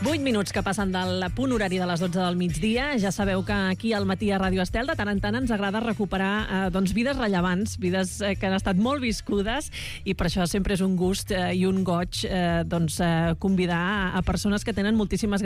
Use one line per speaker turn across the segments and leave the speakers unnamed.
8 minuts que passen del punt horari de les 12 del migdia. Ja sabeu que aquí al matí a Ràdio Estel de tant en tant ens agrada recuperar vides rellevants, vides que han estat molt viscudes, i per això sempre és un gust i un goig convidar a persones que tenen moltíssimes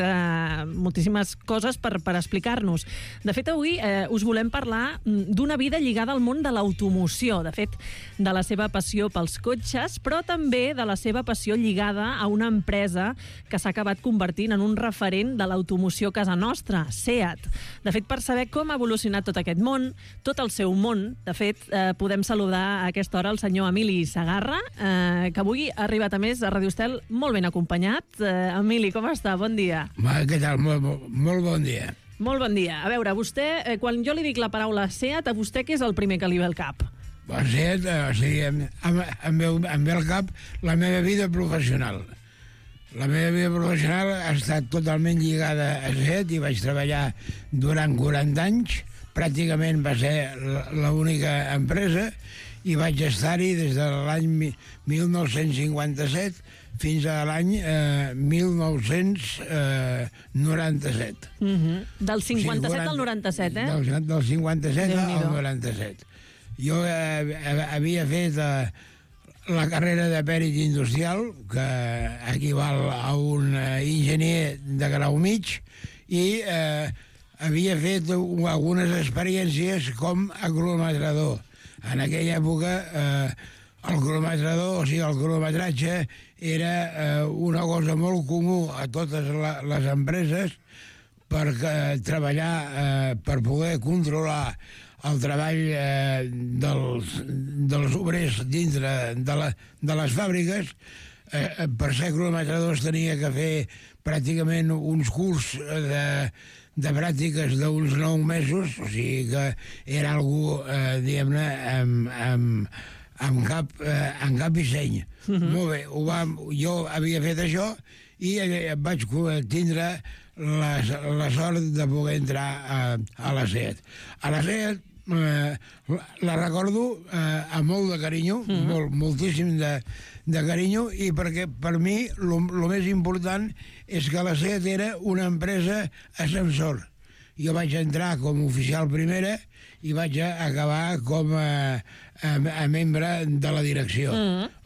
coses per explicar-nos. De fet, avui us volem parlar d'una vida lligada al món de l'automoció, de fet, de la seva passió pels cotxes, però també de la seva passió lligada a una empresa que s'ha acabat convertint en un referent de l'automoció a casa nostra, SEAT. De fet, per saber com ha evolucionat tot aquest món, tot el seu món, de fet, podem saludar a aquesta hora el senyor Emili Segarra, que avui ha arribat a més a Ràdio Estel molt ben acompanyat. Emili, com està? Bon dia.
Què tal? Molt bon dia.
Molt bon dia. A veure, vostè, quan jo li dic la paraula SEAT, a vostè què és el primer que li ve al cap?
SEAT, o sigui, em ve al cap la meva vida professional. La meva vida professional ha estat totalment lligada a SEAT i vaig treballar durant 40 anys. Pràcticament va ser l'única empresa i vaig estar-hi des de l'any 1957 fins a l'any 1997.
Del 57 al 97, eh?
Del 57 al 97. Jo havia fet la carrera de pèrit industrial, que equival a un enginyer de grau mig, i havia fet algunes experiències com a cronometrador. En aquella època el cronometrador, o sigui, el cronometratge, era una cosa molt comú a totes les empreses per treballar, per poder controlar el treball dels obrers dintre de les fàbriques. Per ser cronometradors tenia que fer pràcticament uns curs de pràctiques d'uns 9 mesos, o sigui que era algú, diguem-ne, amb cap disseny. Molt bé, jo havia fet això i vaig tindre la sort de poder entrar a la SEAT. A la SEAT la recordo amb molt de carinyo, moltíssim de carinyo, i perquè per mi el més important és que la SEAT era una empresa ascensor. Jo vaig entrar com a oficial primera i vaig acabar com a membre de la direcció.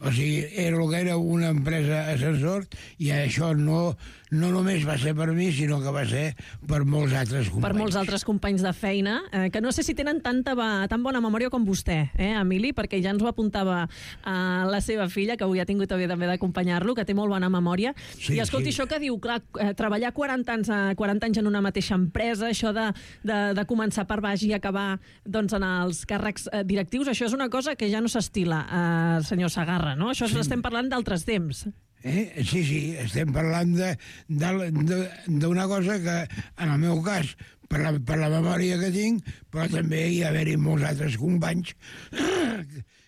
O sigui, era el que era una empresa ascensor, i això no només va ser per mi, sinó que va ser per molts altres companys. Per
molts altres companys de feina, que no sé si tenen tan bona memòria com vostè, Emili, perquè ja ens ho apuntava la seva filla, que avui ha tingut també d'acompanyar-lo, que té molt bona memòria. I escolti, això que diu, clar, treballar 40 anys en una mateixa empresa, això de començar per baix i acabar en els càrrecs directius, això és una cosa que ja no s'estila, senyor Segarra, no? Això estem parlant d'altres temps.
Sí, estem parlant d'una cosa que, en el meu cas, per la memòria que tinc, però també hi ha haver-hi molts altres companys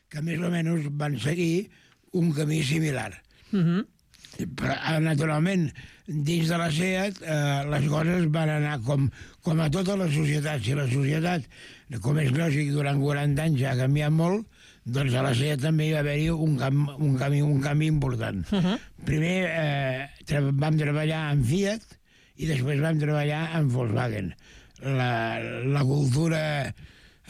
que més o menys van seguir un camí similar. Però, naturalment, dins de la SEAT les coses van anar com a tota la societat. Si la societat, com és lògic, durant 40 anys ha canviat molt, doncs a la SEAT també hi va haver-hi un canvi important. Primer vam treballar en Fiat i després vam treballar en Volkswagen. La cultura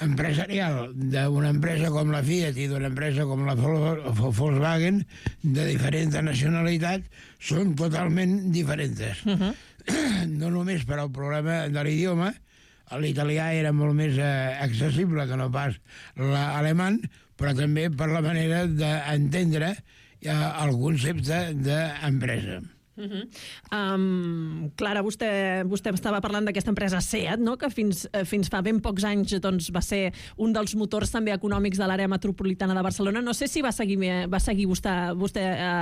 empresarial d'una empresa com la Fiat i d'una empresa com la Volkswagen, de diferent nacionalitat, són totalment diferents. No només per al problema de l'idioma, l'italià era molt més accessible que no pas l'alemany, però també per la manera d'entendre el concepte d'empresa.
Clara, vostè estava parlant d'aquesta empresa SEAT, no? Que fins fa ben pocs anys va ser un dels motors també econòmics de l'àrea metropolitana de Barcelona. No sé si va seguir vostè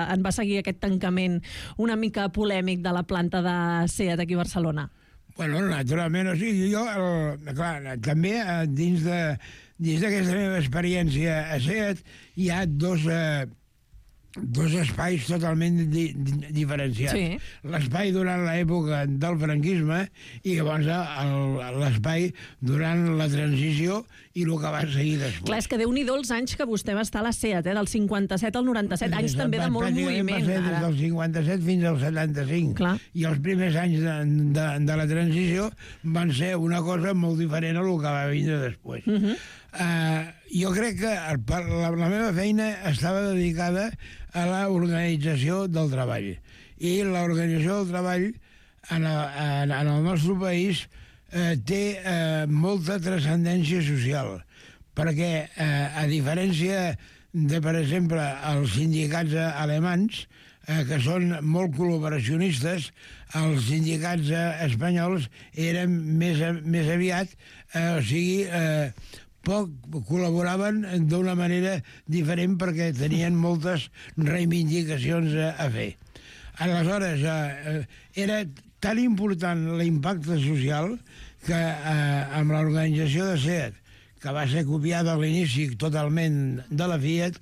en va seguir aquest tancament una mica polèmic de la planta de SEAT aquí a Barcelona.
Bueno, naturalment, o sigui, jo, clar, també dins d'aquesta meva experiència a SEAT hi ha dos dos espais totalment diferenciats.
Sí.
L'espai durant l'època del franquisme i llavors l'espai durant la transició i el que va seguir després.
Clar, és que Déu-n'hi-do els anys que vostè va estar a la SEAT, del 57 al 97, anys també de molt moviment.
Va ser des del 57 fins al 75.
Clar.
I els primers anys de la transició van ser una cosa molt diferent a el que va vindre després. Jo crec que la meva feina estava dedicada a l'organització del treball. I l'organització del treball en el nostre país té molta transcendència social, perquè a diferència de, per exemple, els sindicats alemans, que són molt col·laboracionistes, els sindicats espanyols eren més aviat, poc col·laboraven d'una manera diferent perquè tenien moltes reivindicacions a fer. Aleshores, era tan important l'impacte social que amb l'organització de SEAT, que va ser copiada a l'inici totalment de la Fiat,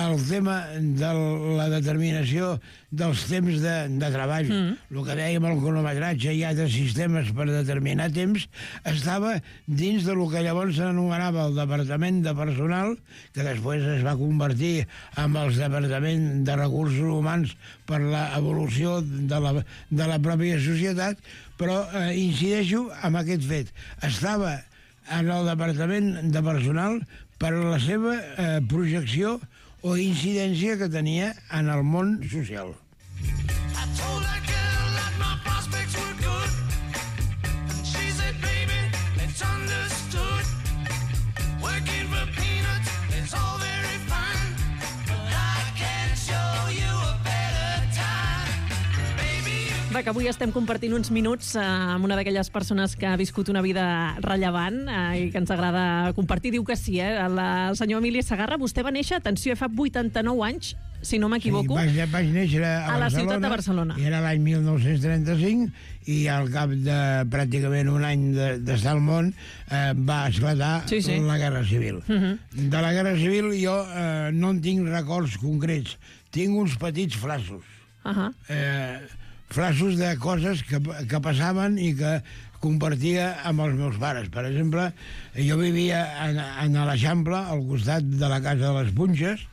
el tema de la determinació dels temps de treball, el que dèiem el cronometratge i altres sistemes per determinar temps, estava dins de lo que llavors s'anomenava el Departament de Personal, que després es va convertir en el Departament de Recursos Humans per l'evolució de la pròpia societat, però incideixo en aquest fet. Estava en el Departament de Personal per la seva projecció o incidència que tenia en el món social.
Va, que avui estem compartint uns minuts amb una d'aquelles persones que ha viscut una vida rellevant i que ens agrada compartir. Diu que sí, el senyor Emili Segarra. Vostè va néixer, atenció, fa 89 anys, si no m'equivoco,
sí, vaig néixer a
la ciutat de Barcelona.
Era l'any 1935 i al cap de pràcticament un any d'estar al món va esclatar la Guerra Civil. De la Guerra Civil jo no en tinc records concrets, tinc uns petits flassos. Flassos de coses que passaven i que compartia amb els meus pares. Per exemple, jo vivia a l'Eixample, al costat de la Casa de les Punxes,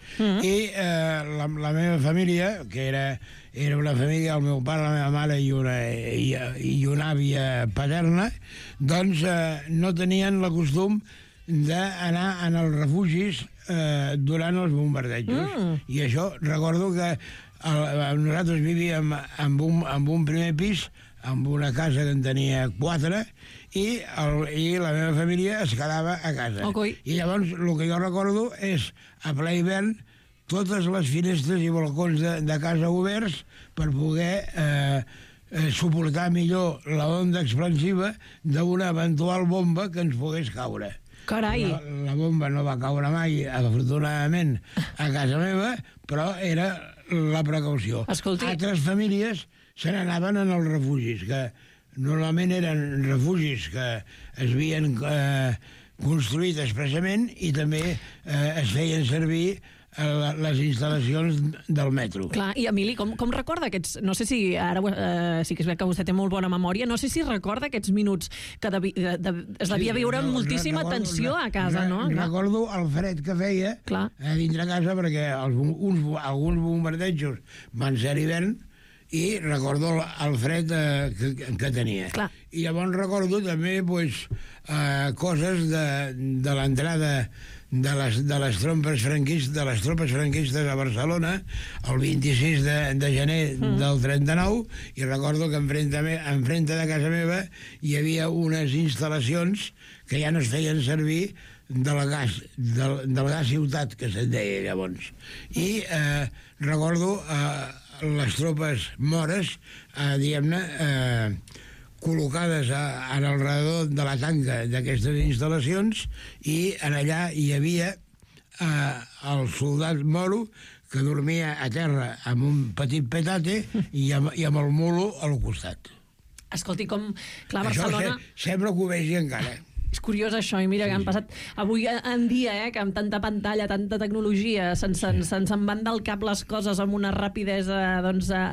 i la meva família, que era una família, el meu pare, la meva mare i una àvia paterna, doncs no tenien el costum d'anar als refugis durant els bombardejos. I això, recordo que nosaltres vivíem en un primer pis, amb una casa que en tenia 4, i la meva família es quedava a casa. I llavors el que jo recordo és, a ple hivern, totes les finestres i balcons de casa oberts per poder suportar millor l'onda expansiva d'una eventual bomba que ens pogués caure.
Carai!
La bomba no va caure mai, afortunadament, a casa meva, però era la precaució.
Escolti.
Altres famílies se n'anaven en els refugis, que normalment eren refugis que es havien construït expressament i també es feien servir les instal·lacions del metro.
Clar, i Emili, com recorda aquests... No sé si ara sí que és veritat que vostè té molt bona memòria, no sé si recorda aquests minuts que es devia viure amb moltíssima tensió a casa, no?
Recordo el fred que feia a dintre casa, perquè alguns bombardejos van ser a l'hivern, i recordo el fred que tenia.
Clar.
I llavors recordo també coses de l'entrada de les tropes franquistes a Barcelona el 26 de gener del 39, i recordo que enfrente de casa meva hi havia unes instal·lacions que ja no es feien servir del gas ciutat, que se'n deia llavors. I recordo les tropes mores, diguem-ne, col·locades en el redador de la tanca d'aquestes instal·lacions, i en allà hi havia el soldat moro que dormia a terra amb un petit petate i amb el mulo al costat.
Escolti, com... Clar, Barcelona...
Això sembla que ho vegi encara.
És curiós això, i mira que han passat avui en dia, que amb tanta pantalla, tanta tecnologia, se'ns en van del cap les coses amb una rapidesa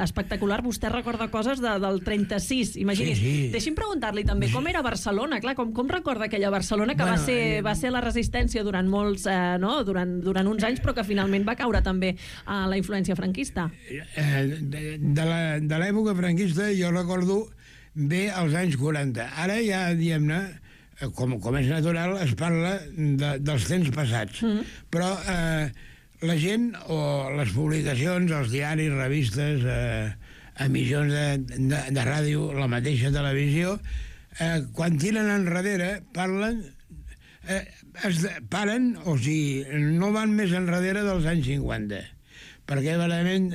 espectacular. Vostè recorda coses del 36, imagini's. Deixi'm preguntar-li també com era Barcelona, clar, com recorda aquella Barcelona que va ser la resistència durant molts, durant uns anys, però que finalment va caure també a la influència franquista?
De l'època franquista jo recordo bé els anys 40. Ara ja, diguem-ne, com és natural, es parla dels temps passats. Però la gent, o les publicacions, els diaris, revistes, emissions de ràdio, la mateixa televisió, quan tiren enrere, paren, o sigui, no van més enrere dels anys 50. Perquè realment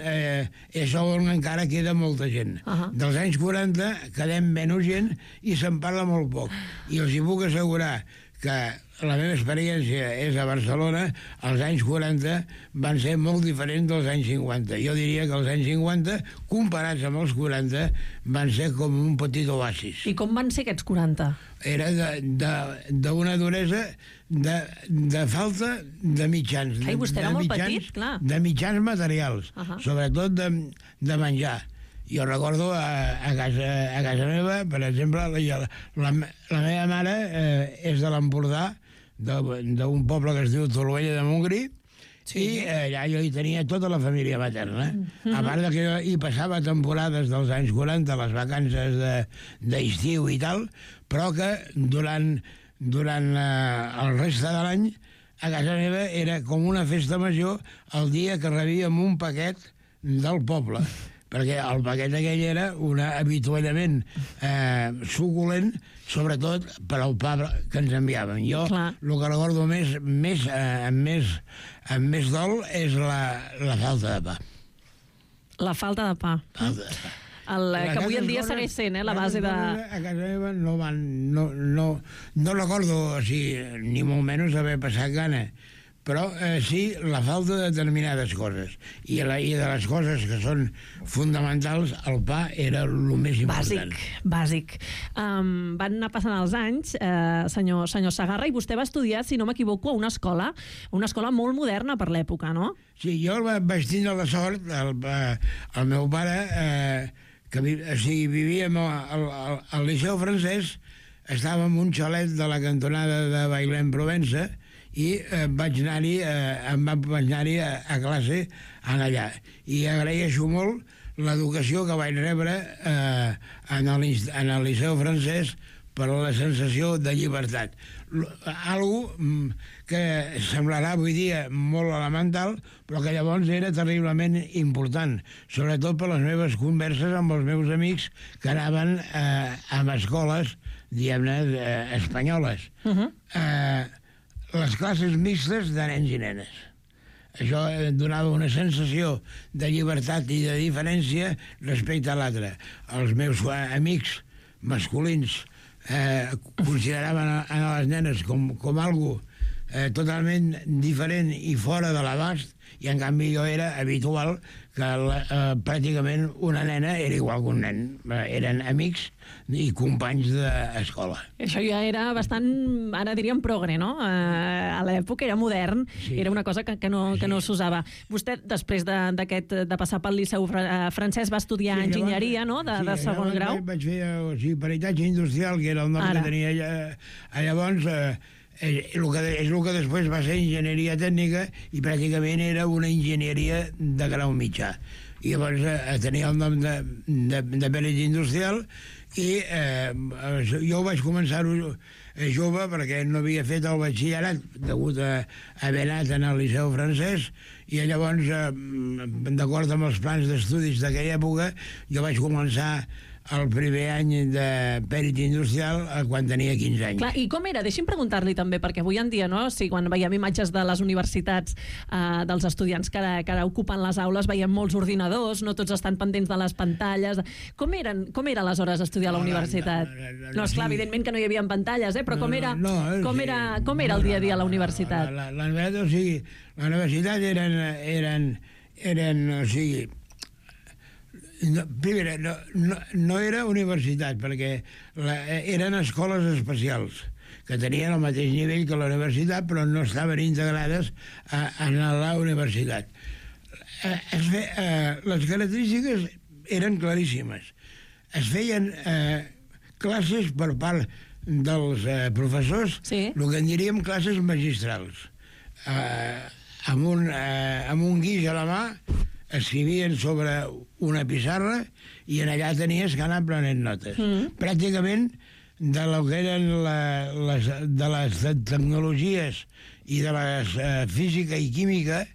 és on encara queda molta gent. Dels anys 40 quedem menys gent i se'n parla molt poc. I els hi puc assegurar que la meva experiència és a Barcelona, els anys 40 van ser molt diferents dels anys 50. Jo diria que els anys 50, comparats amb els 40, van ser com un petit oasis.
I com van ser aquests 40?
Era d'una duresa de falta de mitjans.
Ai, vostè era molt petit, clar.
De mitjans materials, sobretot de menjar. Jo recordo a casa meva, per exemple, la meva mare és de l'Empordà, d'un poble que es diu Torroella de Montgrí, i allà jo hi tenia tota la família materna. A part que jo hi passava temporades dels anys 40, les vacances d'estiu i tal, però que durant el reste de l'any a casa meva era com una festa major el dia que rebíem un paquet del poble, perquè el paquet aquell era un avituallament suculent, sobretot per al pa que ens enviaven. Jo el que recordo amb més dol és la falta de pa.
La falta de pa. Que avui en dia segueix sent la base de...
A casa meva no recordo, ni molt menys haver passat gana, però sí la falta de determinades coses. I de les coses que són fonamentals, el pa era el més important.
Bàsic. Van anar passant els anys, senyor Segarra, i vostè va estudiar, si no m'equivoco, a una escola molt moderna per l'època, no?
Sí, jo vaig tindre la sort, el meu pare, que vivíem al Liceu Francès, estava en un xalet de la cantonada de Bailén-Provença, i vaig anar-hi a classe allà. I agraeixo molt l'educació que vaig rebre en el Liceu Francès per la sensació de llibertat. Algo que semblarà avui dia molt elemental, però que llavors era terriblement important, sobretot per les meves converses amb els meus amics que anaven a escoles, diguem-ne, espanyoles. Les classes mixtes de nens i nenes. Això donava una sensació de llibertat i de diferència respecte a l'altre. Els meus amics masculins consideraven a les nenes com algo totalment diferent i fora de l'abast, i en canvi jo era habitual que pràcticament una nena era igual que un nen. Eren amics i companys d'escola.
Això ja era bastant, ara diríem, progre, no? A l'època era modern, era una cosa que no s'usava. Vostè, després de passar pel Liceu Francès, va estudiar enginyeria, no?, de segon grau.
Vaig fer peritatge industrial, que era el nom que tenia llavors. És el que després va ser enginyeria tècnica, i pràcticament era una enginyeria de grau mitjà. I llavors tenia el nom de perit industrial, i jo vaig començar jove perquè no havia fet el batxillerat degut a haver anat al Liceu Francès, i llavors, d'acord amb els plans d'estudis d'aquella època, jo vaig començar el primer any de pèrit industrial quan tenia 15 anys.
Clar, i com era? Deixi'm preguntar-li també, perquè avui en dia, no, quan veiem imatges de les universitats dels estudiants que ara ocupen les aules, veiem molts ordinadors, no tots estan pendents de les pantalles. Com era aleshores estudiar a la universitat? No, esclar, evidentment que no hi havia pantalles, però com era el dia a dia a la universitat?
La universitat eren, o sigui, no era universitat, perquè eren escoles especials que tenien el mateix nivell que la universitat, però no estaven integrades en la universitat. Les característiques eren claríssimes. Es feien classes per part dels professors, el que en diríem classes magistrals. Amb un guix a la mà escrivien sobre una pissarra i en allà tenies que anar prenent notes. Pràcticament de lo que eren de les tecnologies i de les física i química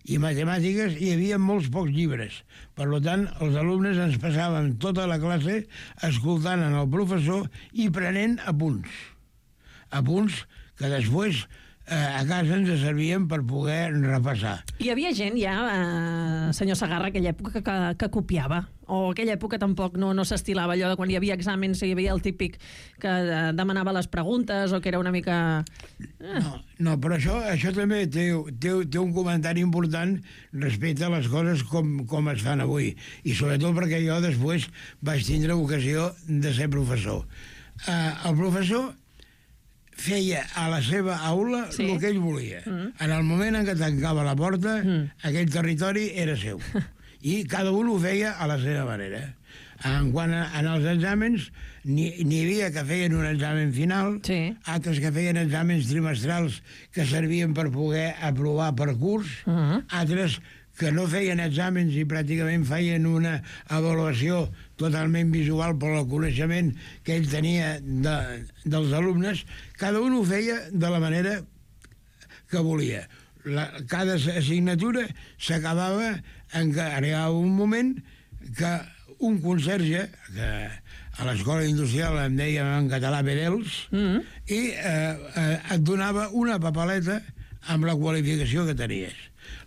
i matemàtiques hi havia molts pocs llibres. Per tant, els alumnes ens passàvem tota la classe escoltant el professor i prenent apunts. Apunts que després a casa ens servien per poder repassar.
Hi havia gent ja, senyor Segarra, aquella època que copiava? O aquella època tampoc no s'estilava allò de quan hi havia exàmens i hi havia el típic que demanava les preguntes o que era una mica...
No, però això també té un comentari important respecte a les coses com es fan avui. I sobretot perquè jo després vaig tindre ocasió de ser professor. El professor feia a la seva aula el que ell volia. En el moment en què tancava la porta, aquell territori era seu. I cada un ho feia a la seva manera. Quan en els exàmens n'hi havia que feien un examen final, altres que feien exàmens trimestrals que servien per poder aprovar per curs, altres que no feien exàmens i pràcticament feien una avaluació totalment visual per al coneixement que ell tenia dels alumnes. Cada un ho feia de la manera que volia. Cada assignatura s'acabava en què arribava un moment que un conserge, que a l'escola industrial en dèiem en català Bedels, i et donava una papeleta amb la qualificació que tenies.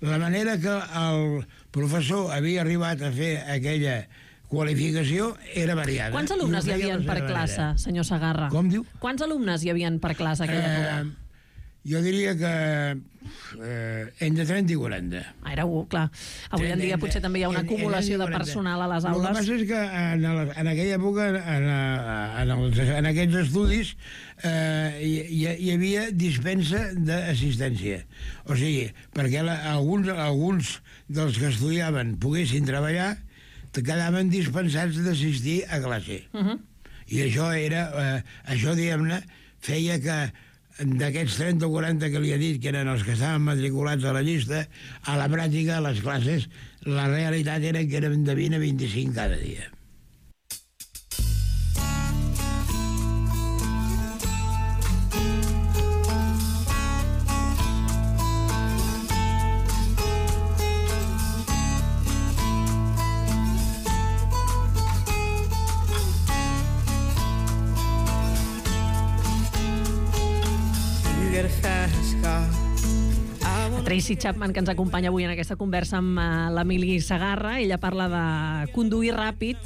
La manera que el professor havia arribat a fer aquella qualificació era variada.
Quants alumnes hi havia per classe, senyor Segarra?
Com diu?
Quants alumnes hi havia per classe aquella època?
Jo diria que entre 30 i 40.
Era clar. Avui en dia potser també hi ha una acumulació de personal a les aules.
El que passa és que en aquella època, en aquests estudis, hi havia dispensa d'assistència. O sigui, perquè alguns dels que estudiaven poguessin treballar, quedaven dispensats d'assistir a classe. I això, diguem-ne, feia que d'aquests 30 o 40 que li he dit que eren els que estaven matriculats a la llista, a la pràctica, a les classes, la realitat era que eren de 20 a 25 cada dia.
Tracy Chapman, que ens acompanya avui en aquesta conversa amb l'Emili Segarra. Ella parla de conduir ràpid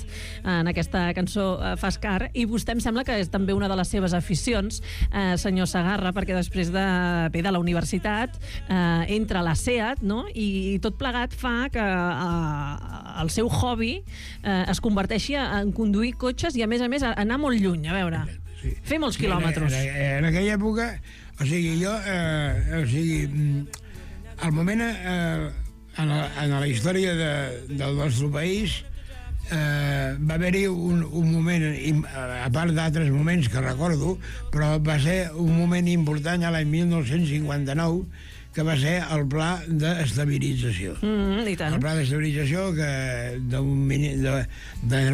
en aquesta cançó Fast Car, i vostè em sembla que és també una de les seves aficions, senyor Segarra, perquè després de la universitat entra a la SEAT, no? I tot plegat fa que el seu hobby es converteixi en conduir cotxes i, a més, anar molt lluny, a veure, fer molts quilòmetres.
En aquella època, al moment, en la història del nostre país, va haver-hi un moment, a part d'altres moments que recordo, però va ser un moment important a l'any 1959, que va ser el pla d'estabilització.
I tant.
El pla d'estabilització de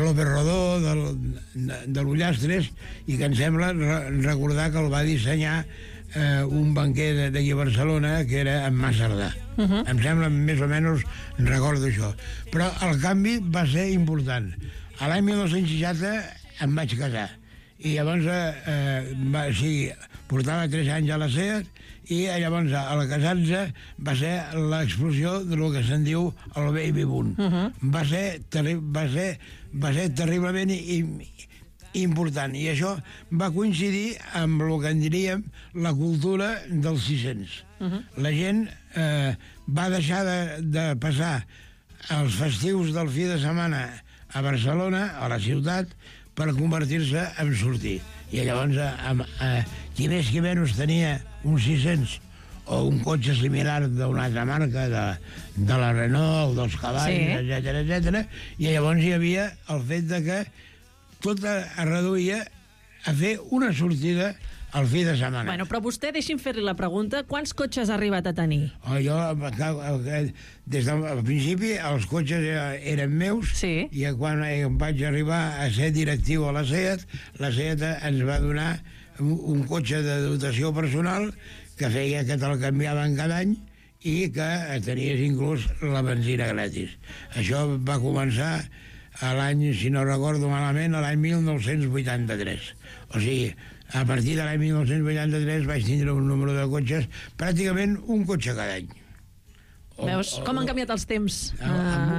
López Rodó, de l'Ullastres, i que em sembla recordar que el va dissenyar un banquer d'aquí a Barcelona, que era en Massardà. Em sembla, més o menys, recordo això. Però el canvi va ser important. A l'any 1960 em vaig casar. I llavors, portava 3 anys a la SEAT, i llavors, al casar-se, va ser l'explosió del que se'n diu el baby boom. Va ser terriblement important, i això va coincidir amb el que en diríem la cultura dels 600. La gent va deixar de passar els festius del fi de setmana a Barcelona, a la ciutat, per convertir-se en sortir. I llavors qui més qui menys tenia un 600 o un cotxe similar d'una altra marca, de la Renault, el dels cavalls, etc. I llavors hi havia el fet de que tot es reduïa a fer una sortida al fi de setmana.
Bueno, però vostè, deixi'm fer-li la pregunta, quants cotxes ha arribat a tenir?
Jo, des del principi, els cotxes eren meus,
Sí.
i quan vaig arribar a ser directiu a la SEAT ens va donar un cotxe de dotació personal que feia que te'l canviaven cada any i que tenies inclús la benzina gratis. Això va començar a l'any, si no recordo malament, a l'any 1983. O sigui, a partir de l'any 1983 vaig tindre un número de cotxes, pràcticament un cotxe cada any.
Veus com han canviat els temps?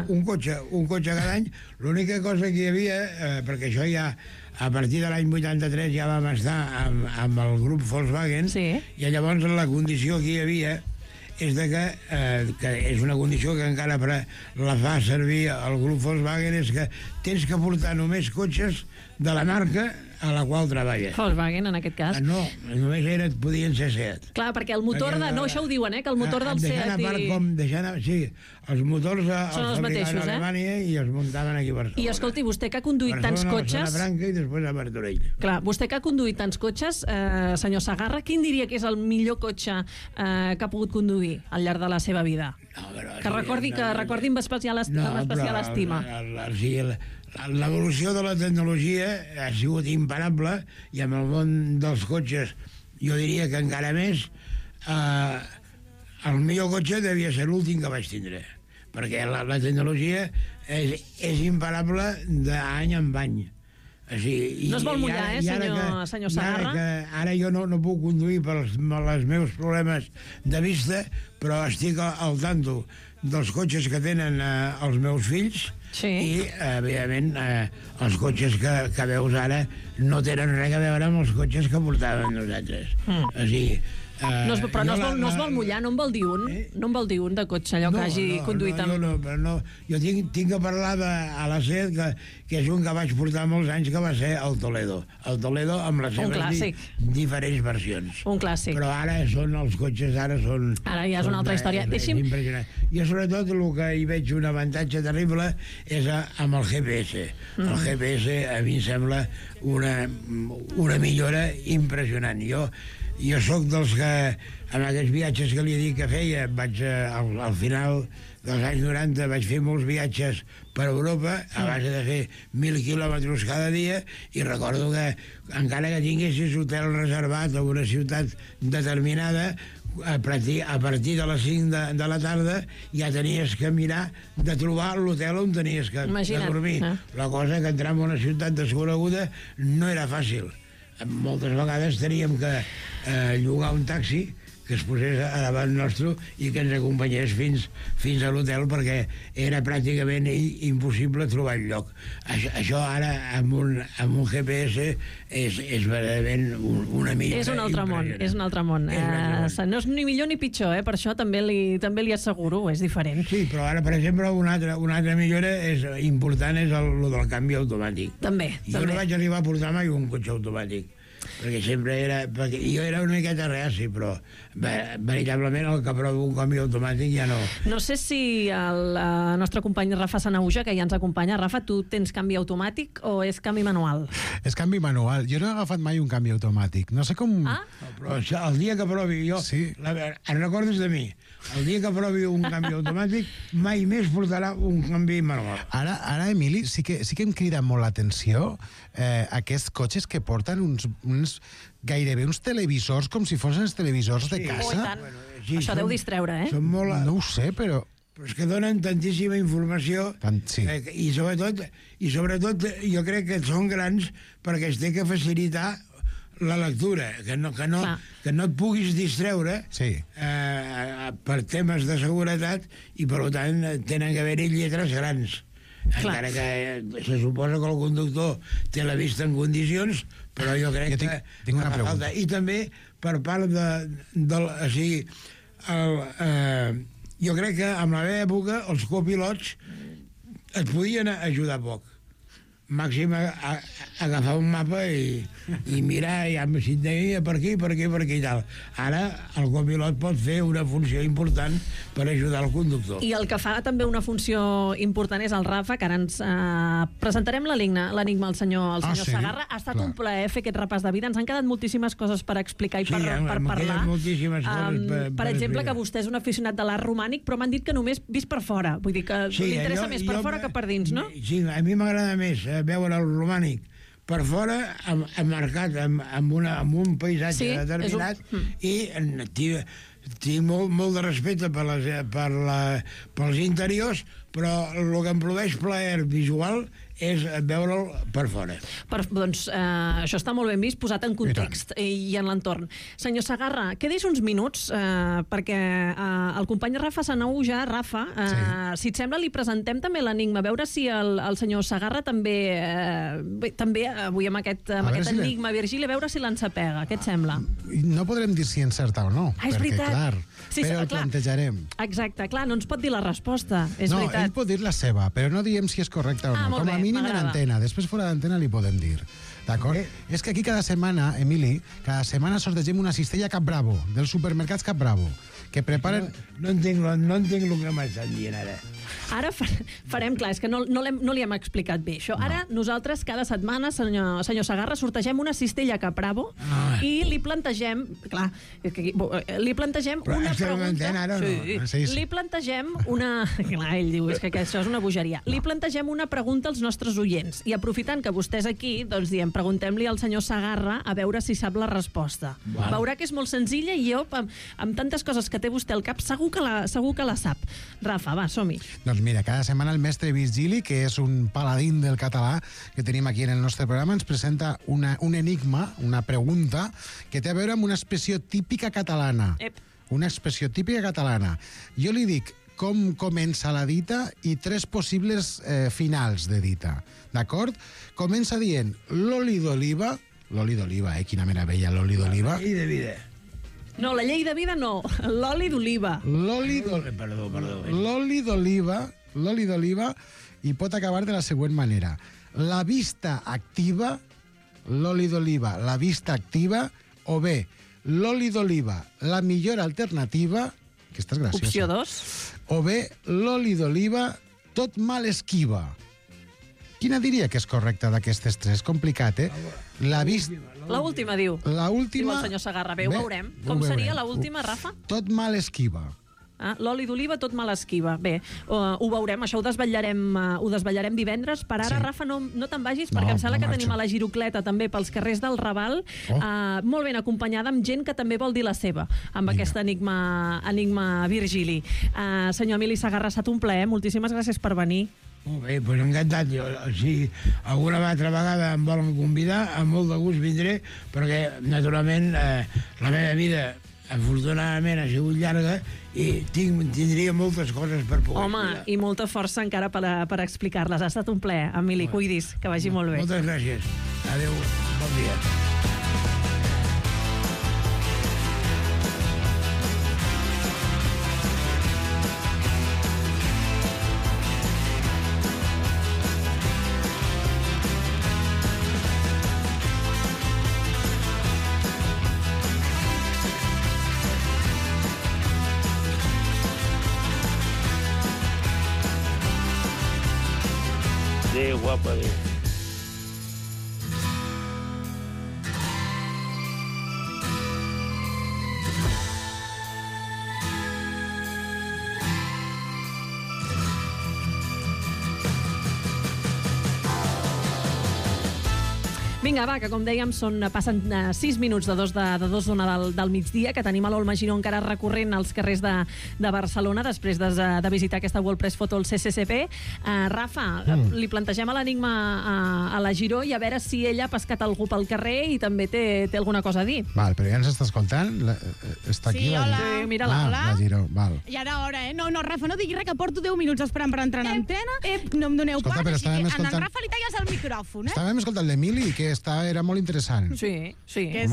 Un cotxe cada any. L'única cosa que hi havia, perquè això ja a partir de l'any 83 ja vam estar amb el grup Volkswagen,
Sí.
i llavors la condició que hi havia és de que és una condició que encara la fa servir el grup Volkswagen, és que tens que portar només cotxes de la marca a la qual treballes.
Volkswagen, en aquest cas.
No, només podien ser SEAT.
Clar, perquè el motor de... No, això ho diuen, que el motor del SEAT
Sí, els motors
són els mateixos,
a Alemanya i els muntaven aquí a Barcelona.
I escolti, vostè que ha conduït tants cotxes...
A Franca i després a Martorell.
Clar, vostè que ha conduït tants cotxes, senyor Sagarra, quin diria que és el millor cotxe que ha pogut conduir al llarg de la seva vida? Que recordi amb especial estima.
L'evolució de la tecnologia ha sigut imparable, i amb el món dels cotxes jo diria que encara més. El millor cotxe devia ser l'últim que vaig tindre, perquè la tecnologia és imparable d'any en any.
No es vol mullar, senyor Sagarra?
Ara jo no puc conduir pels meus problemes de vista, però estic al tanto dels cotxes que tenen els meus fills,
sí.
I, evidentment, els cotxes que veus ara no tenen res a veure amb els cotxes que portàvem nosaltres. O sigui,
però no es vol mullar, no en vol dir un? No en vol dir un de cotxe, allò que hagi conduït amb...
Jo tinc que parlar a la SEAT, que és un que vaig portar molts anys, que va ser el Toledo. El Toledo amb les seves diferents versions.
Un clàssic.
Però ara els cotxes ara són...
Ara ja és una altra història.
És impressionant. Jo sobretot el que hi veig un avantatge terrible és amb el GPS. El GPS a mi em sembla una millora impressionant. Jo sóc dels que, en aquests viatges que li he dit que feia, al final dels anys 90 vaig fer molts viatges per Europa, a base de fer 1.000 quilòmetres cada dia, i recordo que encara que tinguessis hotel reservat a una ciutat determinada, a partir de les 5 de la tarda ja tenies que mirar de trobar l'hotel on tenies que dormir. La cosa que entrar en una ciutat desconeguda no era fàcil. Moltes vegades teníem que llogar un taxi que es posés a davant nostre i que ens acompanyés fins a l'hotel, perquè era pràcticament impossible trobar el lloc. Això ara, amb un GPS, és verdaderament una millora.
És un altre món, és un altre món. No és ni millor ni pitjor, per això també li asseguro, és diferent.
Sí, però ara, per exemple, una altra millora important és el del canvi automàtic.
També.
Jo no vaig arribar a portar mai un cotxe automàtic, perquè jo era una miqueta reaci, però veritablement el que provo un canvi automàtic ja no...
No sé si el nostre company Rafa Sanahuja, que ja ens acompanya. Rafa, tu tens canvi automàtic o és canvi manual?
És canvi manual. Jo no he agafat mai un canvi automàtic. No sé com...
Però el dia que provi jo... Sí. En recordes de mi? El dia que provi un canvi automàtic mai més portarà un canvi manual.
Ara, Emili, sí que em crida molt l'atenció aquests cotxes que porten gairebé uns televisors, com si fossin els televisors de casa.
Això deu distreure,
No ho sé, però
és que donen tantíssima informació, i sobretot jo crec que són grans perquè es té que facilitar la lectura, que no et puguis distreure per temes de seguretat, i per tant tenen que haver-hi lletres grans. Encara que se suposa que el conductor té la vista en condicions, però jo crec que
tinc una pregunta.
I també per part jo crec que en la meva època els copilots et podien ajudar poc. màxim agafar un mapa i mirar ja si et deia per aquí i tal. Ara el copilot pot fer una funció important per ajudar el conductor.
I el que fa també una funció important és el Rafa, que ara ens presentarem l'enigma al senyor Segarra. Ha estat un plaer fer aquest repàs de vida. Ens han quedat moltíssimes coses per explicar i per parlar.
Moltíssimes coses
per exemple, que vostè és un aficionat de l'art romànic, però m'han dit que només vist per fora. Vull dir que li interessa més per fora que per dins, no?
Sí, a mi m'agrada més veure el romànic per fora, emmarcat amb un paisatge determinat, i tinc molt de respecte pels interiors, però el que em produeix plaer visual és veure'l per fora.
Doncs això està molt ben vist, posat en context i en l'entorn. Senyor Segarra, quedis uns minuts perquè el company Rafa Sanou ja, Rafa, si et sembla, li presentem també l'enigma, a veure si el senyor Segarra també avui amb aquest enigma, Virgili, a veure si l'ensapega. Què et sembla?
No podrem dir si encerta o no, perquè clar, però el plantejarem.
Exacte, clar, no ens pot dir la resposta, és veritat.
No, ell pot dir la seva, però no diem si és correcta o no. Com a mínim en antena, després fora d'antena li podem dir. D'acord? És que aquí cada setmana, Emili, sortegem una cistella Cap Bravo, dels supermercats Cap Bravo, que preparen...
No entenc el que m'estan dient ara.
Ara farem, clar, és que no li hem explicat bé això. Ara nosaltres cada setmana, senyor Segarra, sortegem una cistella Cap Bravo i li plantegem, clar, li plantegem una pregunta...
Ara, no?
Li plantegem una... Clar, ell diu, és que això és una bogeria. Li plantegem una pregunta als nostres oients i aprofitant que vostè és aquí, doncs diem, preguntem-li al senyor Segarra a veure si sap la resposta. Veurà que és molt senzilla i jo, amb tantes coses que té vostè al cap, segur que la sap. Rafa, va, som-hi.
Doncs mira, cada setmana el mestre Virgili, que és un paladín del català que tenim aquí en el nostre programa, ens presenta un enigma, una pregunta, que té a veure amb una expressió típica catalana. Una expressió típica catalana. Jo li dic com comença la dita i 3 possibles finals de dita. D'acord? Comença dient l'oli d'oliva, quina meravella, l'oli d'oliva.
I de vida.
No, la llei de vida no, l'oli d'oliva.
L'oli d'oliva i pot acabar de la següent manera. La vista activa, l'oli d'oliva, la vista activa, o bé, l'oli d'oliva, la millor alternativa, aquesta és graciosa.
Opció 2.
O bé, l'oli d'oliva, tot mal esquiva. Quina diria que és correcta d'aquestes 3? Complicat,
La última, diu.
La última...
Diu el senyor Segarra. Bé, ho veurem. Com seria la última, Rafa?
Tot mal esquiva.
L'oli d'oliva tot mal esquiva. Bé, ho veurem, això ho desvetllarem divendres. Per ara, Rafa, no te'n vagis, perquè em sembla que tenim a la Girocleta també pels carrers del Raval, molt ben acompanyada amb gent que també vol dir la seva, amb aquest enigma Virgili. Senyor Emili Segarra, ha estat un plaer. Moltíssimes gràcies per venir.
Molt bé, doncs encantat. Si alguna altra vegada em volen convidar, amb molt de gust vindré, perquè, naturalment, la meva vida afortunadament ha sigut llarga i tindria moltes coses per poder explicar.
I molta força encara per explicar-les. Ha estat un plaer. Emili, cuidis, que vagi molt bé.
Moltes gràcies. Adéu, bon dia. Adéu, guapa, adéu.
Vinga, va, que com dèiem passen 6 minuts de dos d'una del migdia, que tenim a l'Olma Giró encara recorrent als carrers de Barcelona després de visitar aquesta World Press Photo al CCCP. Rafa, li plantegem l'enigma a la Giró i a veure si ella ha pescat algú pel carrer i també té alguna cosa a dir.
Val, però ja ens està escoltant? Està aquí la Giró?
Sí, mira-la.
La Giró, val.
Ja era hora, eh? No, Rafa, no digui res, que porto 10 minuts esperant per entrar en antena. No em doneu
Escolta,
pas,
però
així que
estàvem
en
escoltant...
Rafa li talles el micròfon, eh?
Estàvem escoltant l'Emili, que aquesta era molt interessant.
Sí.
Que sí, que és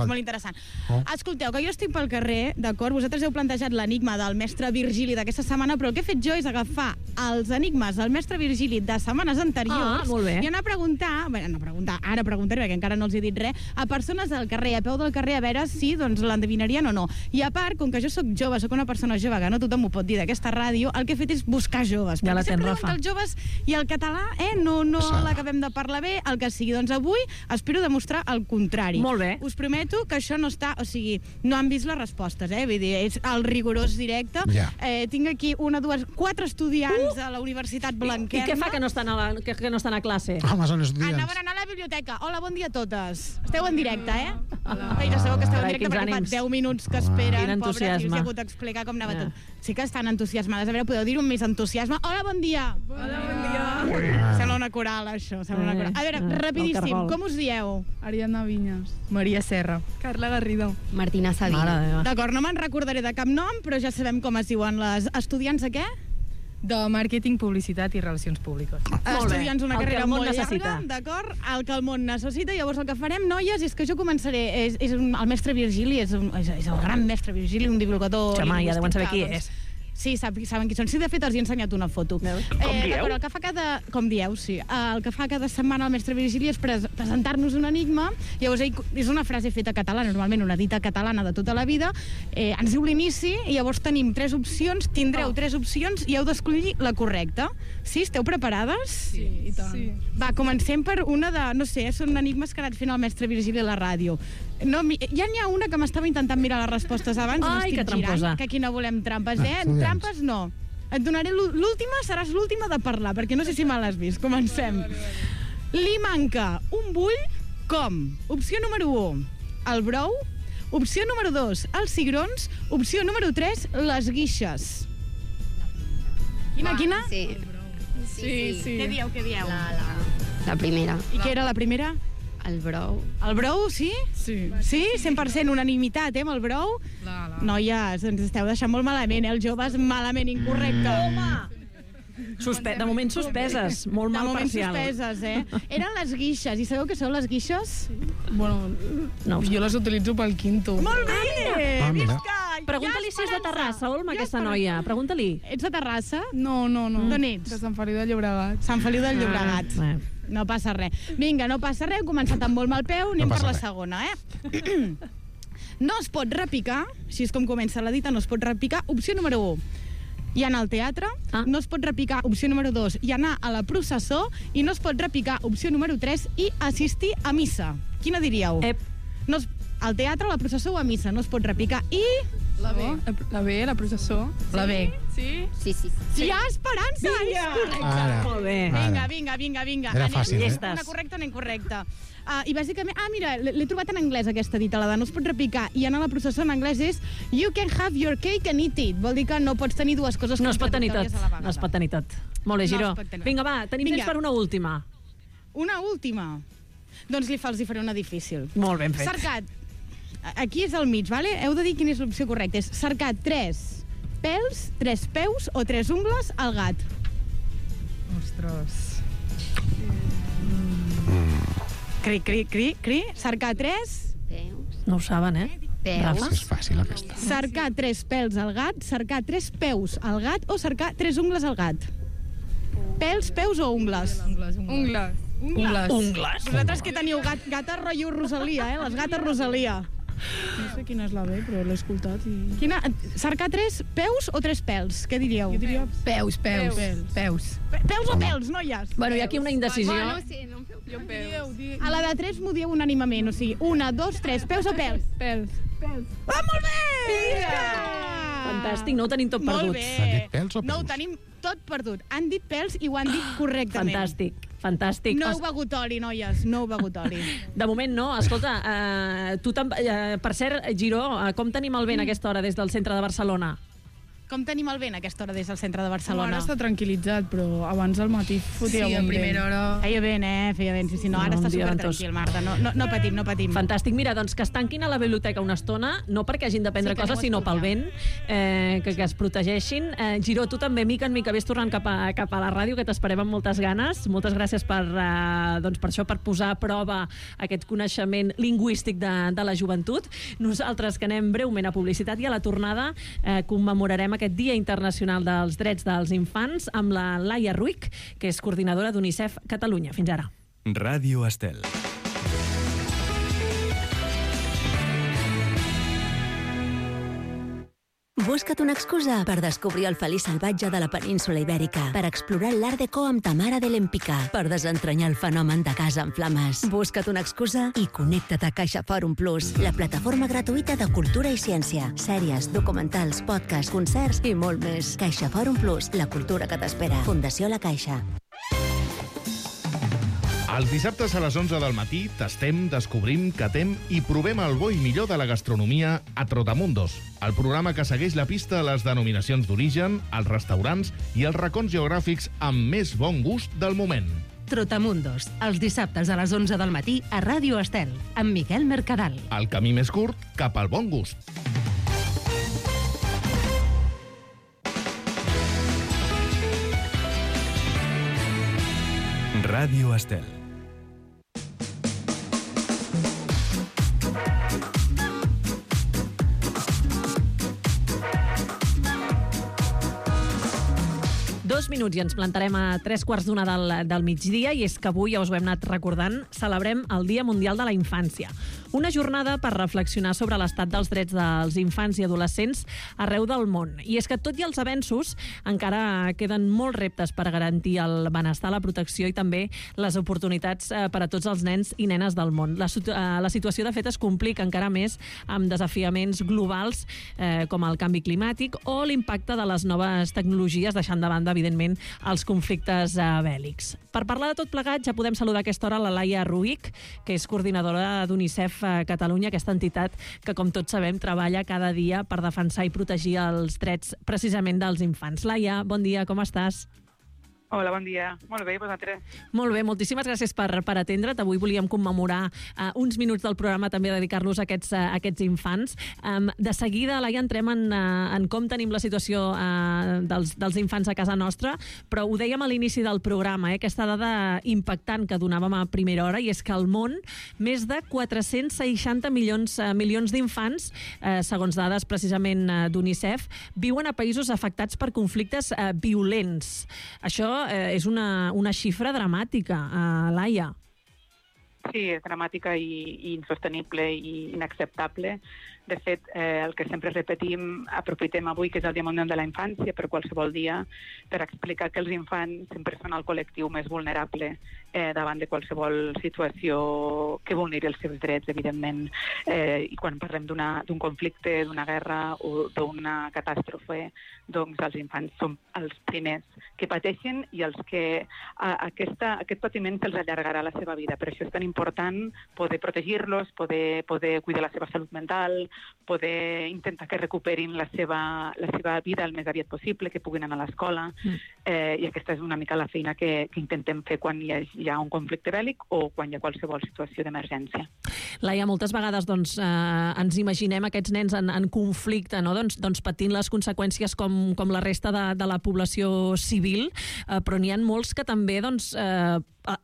molt interessant. Escolteu, que jo estic pel carrer, d'acord? Vosaltres heu plantejat l'enigma del mestre Virgili d'aquesta setmana, però el que he fet jo és agafar els enigmes del mestre Virgili de setmanes anteriors i anar a preguntar, ara preguntaré, perquè encara no els he dit res, a persones del carrer, a peu del carrer, a veure si l'endevinarien o no. I a part, com que jo sóc jove, sóc una persona jove, que no tothom ho pot dir d'aquesta ràdio, el que he fet és buscar joves.
Ja la tens,
sempre
Rafa.
els joves i el català, no l'acabem de parlar bé, el que sigui. Doncs avui espero demostrar el contrari.
Molt bé.
Us prometo que això no està... O sigui, no han vist les respostes, Vull dir, és el rigorós directe.
Ja.
Tinc aquí 4 estudiants a la Universitat Blanquerna.
I què fa que no estan a classe?
Home, són estudiants.
Anaven a anar a la biblioteca. Hola, bon dia a totes. Esteu en directe, Ja sabeu que esteu en directe perquè fa 10 minuts que esperen.
Quin entusiasme.
Pobres, i us he hagut d'explicar com anava tot. Sí que estan entusiasmades. A veure, podeu dir-ho amb més entusiasme. Hola, bon dia.
Hola, bon dia.
Sembla una coral, això. Sembla una coral. A veure, rapidíssim, com us dieu?
Ariadna Vinyes. Maria Serra. Carla Garrido.
Martina Sabina.
D'acord, no me'n recordaré de cap nom, però ja sabem com es diuen les estudiants de què?
De Màrqueting, Publicitat i Relacions Públiques.
Estudiants una
El que
carrera
el món
molt
necessita.
llarga, d'acord? El que el món necessita. Llavors el que farem, noies, és que jo començaré... El mestre Virgili, és el gran mestre Virgili, un divulgador...
Home, ja deuen saber qui
lingüístic,
és.
Sí, saben qui són. Sí, de fet, els he ensenyat una foto.
Com dieu?
El que fa com dieu, sí. El que fa cada setmana el mestre Virgili és presentar-nos un enigma. Llavors, és una frase feta catalana, normalment una dita catalana de tota la vida. Ens diu l'inici i llavors tenim 3 opcions, tindreu 3 opcions i heu d'escollir la correcta. Sí? Esteu preparades?
Sí, i tant. Sí.
Va, comencem per una de... No sé, són enigmes que ha anat fent el mestre Virgili a la ràdio. No, ja n'hi ha una que m'estava intentant mirar les respostes abans.
Ai, que tramposa.
Girant, que aquí no volem trampes,
Estudiants.
Trampes no. Et donaré l'última, seràs l'última de parlar, perquè no sé si me l'has vist. Comencem. Li manca un bull com? Opció número 1, el brou. Opció número 2, els cigrons. Opció número 3, les guixes. Quina?
Sí.
Què dieu?
La primera.
I què era la primera?
El brou.
El brou, sí?
Sí.
Sí? 100% unanimitat, amb el brou? Noies, ens esteu deixant molt malament, Els joves malament, incorrecte.
De moment suspeses, molt mal parcial.
De moment suspeses, Eren les guixes, i sabeu què són les guixes?
Bueno, jo les utilitzo pel quinto.
Molt bé!
mira.
Visca!
Pregunta-li si és de Terrassa, Olma, aquesta noia. Pregunta-li.
Ets de Terrassa?
No.
D'on ets?
De Sant Feliu de Llobregat.
Sant Feliu del Llobregat. No passa res. Vinga, no passa res, hem començat amb molt mal peu, anem per la segona, No es pot repicar, així és com comença la dita, no es pot repicar. Opció número 1, i anar al teatre. No es pot repicar, opció número 2, i anar a la processó. I no es pot repicar, opció número 3, i assistir a missa. Quina diríeu? Al teatre, a la processó o a missa, no es pot repicar. I...
La B, la processó. La B. Sí?
Sí.
Hi ha esperança! És correcte.
Ara.
Molt bé.
Vinga.
Era fàcil,
Una correcta o una incorrecta. I bàsicament... mira, l'he trobat en anglès, aquesta dita, la de no es pot repicar. I anar a la processó en anglès és you can have your cake and eat it. Vol dir que no pots tenir dues coses
No es pot tenir tot.
contradictòries a la vegada.
No es pot tenir tot. Molt bé, Giró. Vinga, va, tenim temps per una última.
Una última. Doncs els faré una difícil.
Molt ben fet.
Cercat. Aquí és al mig, vale? Heu de dir quina és l'opció correcta. És cercar 3 pèls, 3 peus o 3 ungles al gat.
Ostres.
Cri. Cercar 3...
Peus.
No ho saben,
Peus.
És fàcil, aquesta.
Cercar 3 pèls al gat, cercar 3 peus al gat o cercar 3 ungles al gat. Pèls, peus o ungles?
Ungles.
Vosaltres que teniu gata rotllo Rosalia, les gates Rosalia.
No sé quina és la B, però l'he escoltat i...
Cercar 3 peus o 3 pèls? Què diríeu?
Jo diria
Peus.
Peus o pèls, noies?
Bueno, hi ha aquí una indecisió.
Jo peus.
A la de 3 m'ho dieu unànimament, o sigui, 1, 2, 3, peus o pèls?
Pèls.
Molt bé!
Fantàstic, no ho tenim tot perdut.
Molt bé.
Han dit pèls o
No ho
peus?
tenim tot perdut. Han dit pèls i ho han dit correctament.
Fantàstic.
No heu begut oli, noies, no heu begut oli.
De moment no. Escolta, per cert, Giró, com tenim el vent a aquesta hora des del centre de Barcelona?
Com tenim el vent a aquesta hora des del centre de Barcelona?
Ara està tranquil·litzat, però abans al matí fotia
Sí, a
bon
primera
vent.
hora.
Feia vent, feia vent. Sí, no, ara
Un
està
dia
supertranquil, Marta. No patim, no patim.
Fantàstic. Mira, doncs que es tanquin a la biblioteca una estona, no perquè hagin de prendre
Sí, que
coses,
no ho
sinó pel
estudiar.
vent, que es protegeixin. Giró, tu també, mica en mica, vés tornant cap a la ràdio, que t'esperem amb moltes ganes. Moltes gràcies per això, per posar a prova aquest coneixement lingüístic de la joventut. Nosaltres, que anem breument a publicitat, i a la tornada commemorarem aquest Dia Internacional dels Drets dels Infants amb la Laia Ruic, que és coordinadora d'UNICEF Catalunya. Fins ara.
Ràdio Estel.
Busca't una excusa per descobrir el feliç salvatge de la península Ibèrica, per explorar l'Art Deco amb Tamara de l'Empicà, per desentranyar el fenomen de casa en flames. Busca't una excusa i connecta't a Caixa Fòrum Plus, la plataforma gratuïta de cultura i ciència, sèries, documentals, podcasts, concerts i molt més. Caixa Fòrum Plus, la cultura que t'espera. Fundació La Caixa.
Els dissabtes a les 11 del matí tastem, descobrim, catem i provem el bo i millor de la gastronomia a Trotamundos, el programa que segueix la pista a les denominacions d'origen, als restaurants i als racons geogràfics amb més bon gust del moment.
Trotamundos, els dissabtes a les 11 del matí a Ràdio Estel, amb Miquel Mercadal.
El camí més curt cap al bon gust.
Ràdio Estel.
Dos minuts i ens plantarem a 3:15 del migdia, i és que avui, ja us ho hem anat recordant, celebrem el Dia Mundial de la Infància. Una jornada per reflexionar sobre l'estat dels drets dels infants i adolescents arreu del món. I és que, tot i els avenços, encara queden molts reptes per garantir el benestar, la protecció i també les oportunitats per a tots els nens i nenes del món. La situació, de fet, es complica encara més amb desafiaments globals com el canvi climàtic o l'impacte de les noves tecnologies, deixant de banda, evidentment, els conflictes bèl·lics. Per parlar de tot plegat, ja podem saludar a aquesta hora la Laia Ruic, que és coordinadora d'UNICEF Catalunya, aquesta entitat que, com tots sabem, treballa cada dia per defensar i protegir els drets precisament dels infants. Laia, bon dia, com estàs?
Hola, bon dia. Molt bé, vosaltres?
Molt bé, moltíssimes gràcies per atendre't. Avui volíem commemorar uns minuts del programa, també dedicar-los a aquests infants. De seguida, Laia, entrem en com tenim la situació dels infants a casa nostra, però ho dèiem a l'inici del programa, aquesta dada impactant que donàvem a primera hora, i és que al món més de 460 milions d'infants, segons dades precisament d'UNICEF, viuen a països afectats per conflictes violents. Això és una xifra dramàtica, Laia.
Sí, és dramàtica i insostenible i inacceptable. De fet, el que sempre repetim, aprofitem avui, que és el Dia Mundial de la Infància, per qualsevol dia, per explicar que els infants sempre són el col·lectiu més vulnerable davant de qualsevol situació que vulneri els seus drets, evidentment. I quan parlem d'un conflicte, d'una guerra o d'una catàstrofe, doncs els infants són els primers que pateixen i els que aquest patiment se'ls allargarà la seva vida. Per això és tan important poder protegir-los, poder cuidar la seva salut mental, poder intentar que recuperin la seva vida el més aviat possible, que puguin anar a l'escola, i aquesta és una mica la feina que intentem fer quan hi ha un conflicte bèl·lic o quan hi ha qualsevol situació d'emergència.
Laia, moltes vegades ens imaginem aquests nens en conflicte, no? doncs patint les conseqüències com la resta de la població civil, però n'hi ha molts que també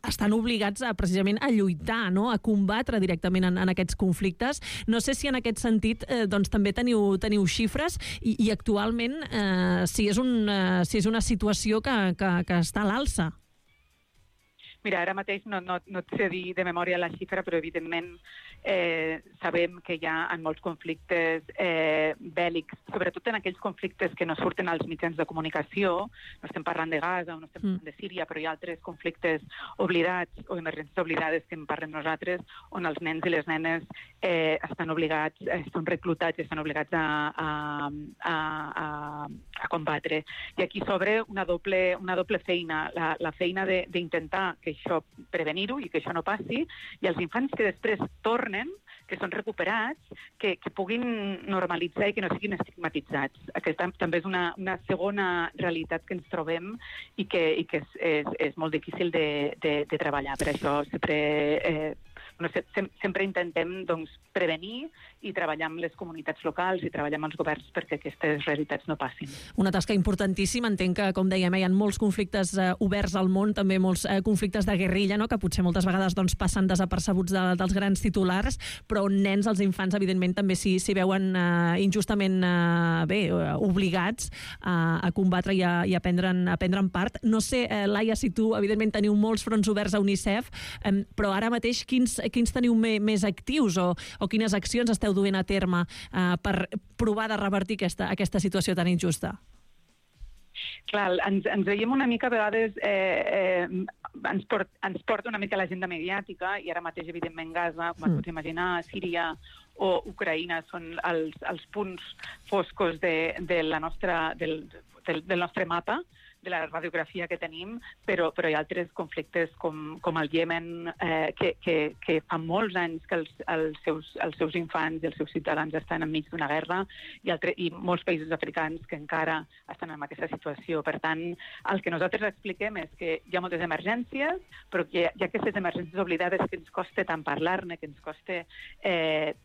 estan obligats precisament a lluitar, no? A combatre directament en aquests conflictes. No sé si en aquest sentit també teniu xifres i actualment si és una situació que està a l'alça.
Mira, ara mateix no et sé dir de memòria la xifra, però evidentment sabem que hi ha en molts conflictes bèl·lics, sobretot en aquells conflictes que no surten als mitjans de comunicació, no estem parlant de Gaza o no estem parlant de Síria, però hi ha altres conflictes oblidats o emergències oblidades que en parlem nosaltres, on els nens i les nenes estan obligats, són reclutats i estan obligats a combatre. I aquí s'obre una doble feina, la feina d'intentar que això, prevenir-ho i que això no passi, i els infants que després tornen, que són recuperats, que puguin normalitzar i que no siguin estigmatitzats. Aquesta també és una segona realitat que ens trobem i que és molt difícil de treballar. Per això sempre intentem prevenir i treballar amb les comunitats locals i treballar amb els governs perquè aquestes realitats no passin.
Una tasca importantíssima. Entenc que, com dèiem, hi ha molts conflictes oberts al món, també molts conflictes de guerrilla, no?, que potser moltes vegades passen desapercebuts dels grans titulars, però on nens, els infants, evidentment, també s'hi veuen injustament obligats a combatre i a prendre'n part. No sé, Laia, si tu, evidentment, teniu molts fronts oberts a UNICEF, però ara mateix quins teniu més actius o quines accions esteu duent a terme per provar de revertir aquesta situació tan injusta?
Clar, ens veiem una mica a vegades, ens porta una mica l'agenda mediàtica i ara mateix, evidentment, Gaza, com es pot imaginar, Síria o Ucraïna són els punts foscos del nostre mapa, de la radiografia que tenim, però hi ha altres conflictes com el Iemen, que fa molts anys que els seus infants i els seus ciutadans estan enmig d'una guerra, i molts països africans que encara estan en aquesta situació. Per tant, el que nosaltres expliquem és que hi ha moltes emergències, però que hi ha aquestes emergències oblidades que ens costa tant parlar-ne, que ens costa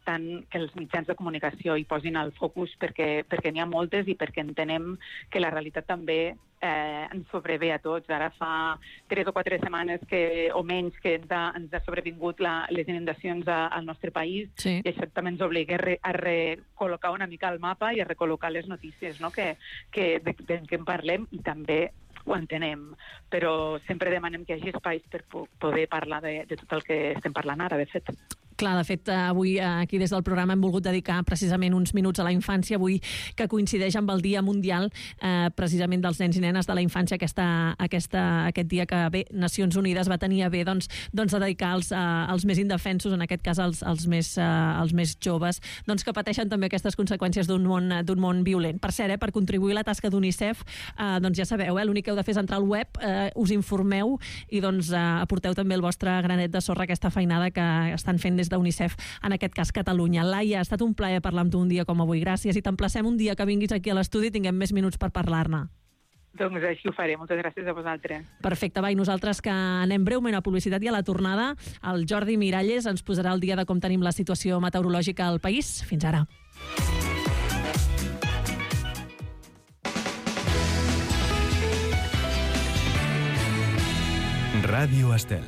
tant que els mitjans de comunicació hi posin el focus, perquè n'hi ha moltes i perquè entenem que la realitat també ens sobrevé a tots. Ara fa 3 o 4 setmanes o menys que ens ha sobrevingut les inundacions al nostre país, i això també ens obliga a recol·locar una mica el mapa i a recol·locar les notícies, no?, de què en parlem, i també ho entenem, però sempre demanem que hi hagi espais per poder parlar de tot el que estem parlant ara, de fet.
Clar, de fet, avui aquí des del programa hem volgut dedicar precisament uns minuts a la infància, avui que coincideix amb el Dia Mundial precisament dels nens i nenes de la infància, aquest dia que Nacions Unides va tenir a bé de dedicar als més indefensos, en aquest cas als més joves, que pateixen també aquestes conseqüències d'un món violent. Per cert, per contribuir a la tasca d'UNICEF, ja sabeu, l'únic que heu de fer és entrar al web, us informeu i aporteu també el vostre granet de sorra a aquesta feinada que estan fent des d'UNICEF, en aquest cas Catalunya. Laia, ha estat un plaer parlar amb tu un dia com avui. Gràcies, i t'emplacem un dia que vinguis aquí a l'estudi i tinguem més minuts per parlar-ne.
Doncs així ho faré. Moltes gràcies a vosaltres.
Perfecte, i nosaltres que anem breument a publicitat i a la tornada, el Jordi Miralles ens posarà al dia de com tenim la situació meteorològica al país. Fins ara.
Ràdio Estel.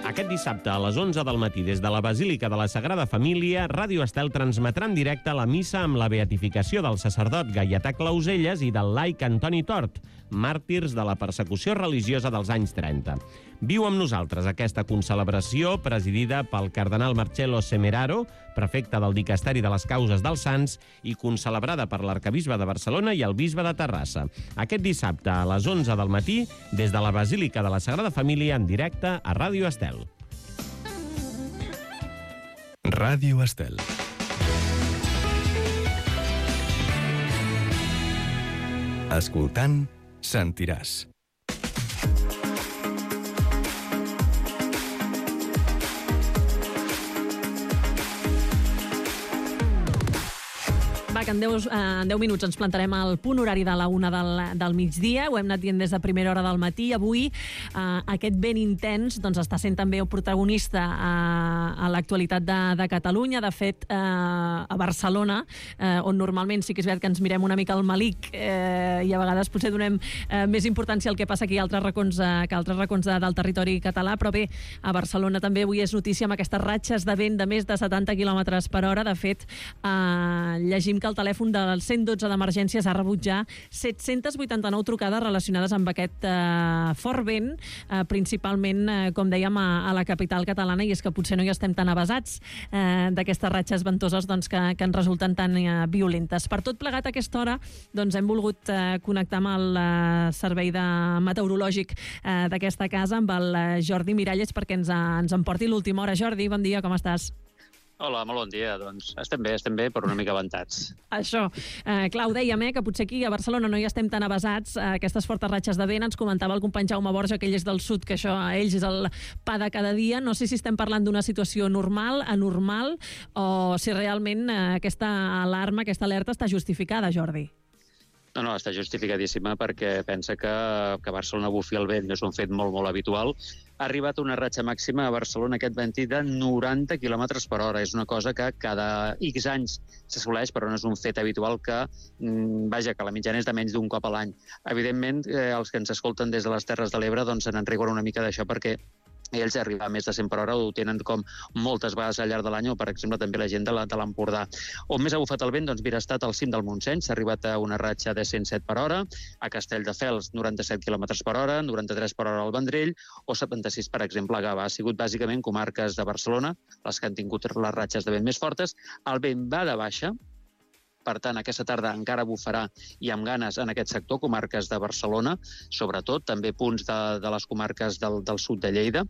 Aquest dissabte a les 11 del matí des de la Basílica de la Sagrada Família, Ràdio Estel transmetrà en directe la missa amb la beatificació del sacerdot Gaietà Clauselles i del laic Antoni Tort, màrtirs de la persecució religiosa dels anys 30. Viu amb nosaltres aquesta concelebració presidida pel cardenal Marcello Semeraro, prefecte del Dicasteri de les Causes dels Sants, i concelebrada per l'arcabisbe de Barcelona i el bisbe de Terrassa. Aquest dissabte a les 11 del matí, des de la Basílica de la Sagrada Família, en directe a Ràdio Estel.
Ràdio Estel. Escoltant, sentiràs.
Que en 10 minuts ens plantarem al punt horari de la 1 del migdia. Ho hem anat dient des de primera hora del matí. Avui aquest vent intens està sent també el protagonista a l'actualitat de Catalunya. De fet, a Barcelona, on normalment sí que és veritat que ens mirem una mica al malic i a vegades potser donem més importància al que passa aquí a altres racons del territori català, però bé, a Barcelona també avui és notícia amb aquestes ratxes de vent de més de 70 km per hora. De fet, llegim que el telèfon del 112 d'emergències ha rebut ja 789 trucades relacionades amb aquest fort vent, principalment, com dèiem, a la capital catalana, i és que potser no hi estem tan avasats d'aquestes ratxes ventoses que ens resulten tan violentes. Per tot plegat, a aquesta hora hem volgut connectar amb el servei meteorològic d'aquesta casa, amb el Jordi Miralles, perquè ens en porti l'última hora. Jordi, bon dia, com estàs?
Hola, molt bon dia. Doncs estem bé, però una mica avantats.
Això. Clar, ho dèiem, que potser aquí a Barcelona no hi estem tan avasats a aquestes fortes ratxes de vent. Ens comentava el company Jaume Borja, que ell és del sud, que això a ells és el pa de cada dia. No sé si estem parlant d'una situació normal, anormal, o si realment aquesta alarma, aquesta alerta està justificada, Jordi.
No, està justificadíssima perquè pensa que a Barcelona bufi el vent és un fet molt, molt habitual. Ha arribat una ratxa màxima a Barcelona aquest matí de 90 km per hora. És una cosa que cada X anys s'assoleix, però no és un fet habitual que la mitjana és de menys d'un cop a l'any. Evidentment, els que ens escolten des de les Terres de l'Ebre se n'enriguen una mica d'això perquè ells arribar a més de 100 per hora ho tenen com moltes vegades al llarg de l'any, o per exemple també la gent de l'Empordà. On més ha bufat el vent? Doncs mira, ha estat al cim del Montseny, s'ha arribat a una ratxa de 107 per hora, a Castelldefels 97 km per hora, 93 per hora al Vendrell, o 76, per exemple, a Gavà. Ha sigut bàsicament comarques de Barcelona les que han tingut les ratxes de vent més fortes. El vent va de baixa, per tant, aquesta tarda encara bufarà i amb ganes en aquest sector, comarques de Barcelona, sobretot, també punts de les comarques del sud de Lleida,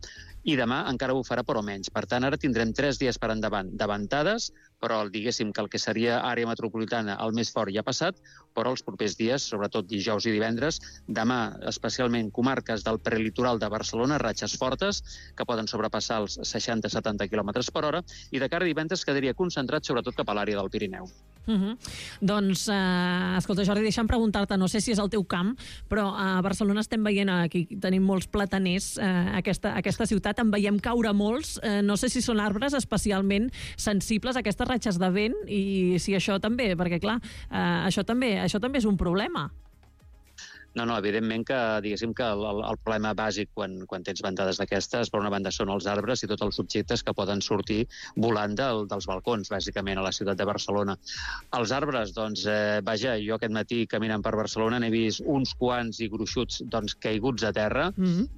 i demà encara bufarà però menys. Per tant, ara tindrem 3 dies per endavant de ventades, però diguéssim que el que seria àrea metropolitana el més fort ja ha passat, però els propers dies, sobretot dijous i divendres, demà especialment comarques del prelitoral de Barcelona, ratxes fortes que poden sobrepassar els 60-70 km per hora, i de cara a divendres quedaria concentrat sobretot cap a l'àrea del Pirineu.
Doncs, escolta, Jordi, deixa'm preguntar-te, no sé si és el teu camp, però a Barcelona estem veient, aquí tenim molts plataners, aquesta ciutat, en veiem caure molts, no sé si són arbres especialment sensibles a aquestes ratxes de vent, i si això també, perquè clar, això també és un problema.
No, evidentment que, diguéssim, que el problema bàsic quan tens ventades d'aquestes, per una banda, són els arbres i tots els objectes que poden sortir volant dels balcons, bàsicament, a la ciutat de Barcelona. Els arbres, doncs, jo aquest matí caminant per Barcelona n'he vist uns quants i gruixuts caiguts a terra,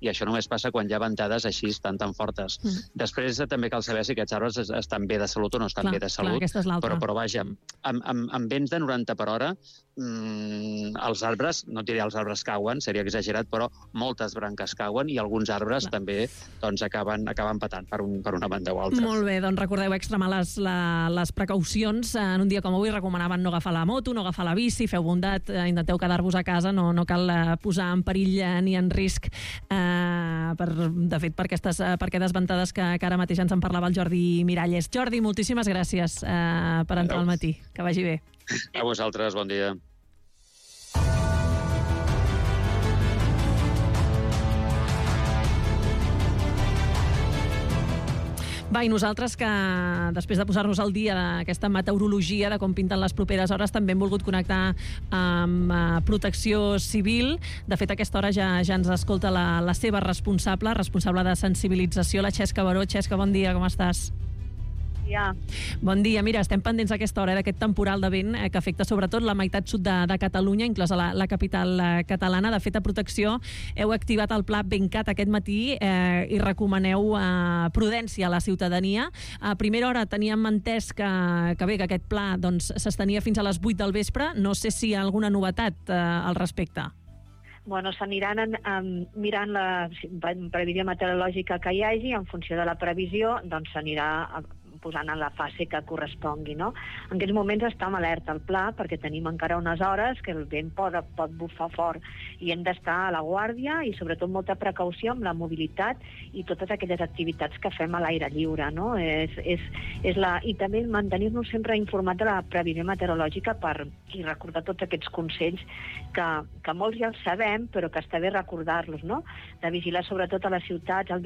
i això només passa quan hi ha ventades així tan fortes. Després també cal saber si aquests arbres estan bé de salut o no estan bé de salut, però vaja, amb vents de 90 per hora, els arbres, no et diré els arbres cauen, seria exagerat, però moltes branques cauen i alguns arbres també acaben patant per una banda o altra.
Molt bé, doncs recordeu extremar les precaucions. En un dia com avui recomanaven no agafar la moto, no agafar la bici, feu bondat, intenteu quedar-vos a casa, no cal posar en perill ni en risc, de fet, per aquestes ventades que ara mateix ens en parlava el Jordi Miralles. Jordi, moltíssimes gràcies per entrar al matí. Que vagi bé.
A vosaltres, bon dia.
Va, i nosaltres que després de posar-nos al dia d'aquesta meteorologia, de com pinten les properes hores, també hem volgut connectar amb Protecció Civil. De fet, a aquesta hora ja ens escolta la seva responsable de sensibilització, la Xesca Baró. Xesca, bon dia, com estàs? Bon dia. Mira, estem pendents a aquesta hora d'aquest temporal de vent que afecta sobretot la meitat sud de Catalunya, inclosa la capital catalana. De fet, a Protecció heu activat el pla Ventcat aquest matí i recomaneu prudència a la ciutadania. A primera hora teníem entès que aquest pla s'estenia fins a les 8 del vespre. No sé si hi ha alguna novetat al respecte.
Bueno, s'aniran mirant la previsió meteorològica que hi hagi, en funció de la previsió, doncs s'anirà posant en la fase que correspongui, no? En aquests moments està en alerta el pla, perquè tenim encara unes hores que el vent pot bufar fort i hem d'estar a la guàrdia i sobretot molta precaució amb la mobilitat i totes aquelles activitats que fem a l'aire lliure, no? I també mantenir-nos sempre informats de la previsió meteorològica i recordar tots aquests consells que molts ja els sabem, però que està bé recordar-los, no? De vigilar sobretot a les ciutats el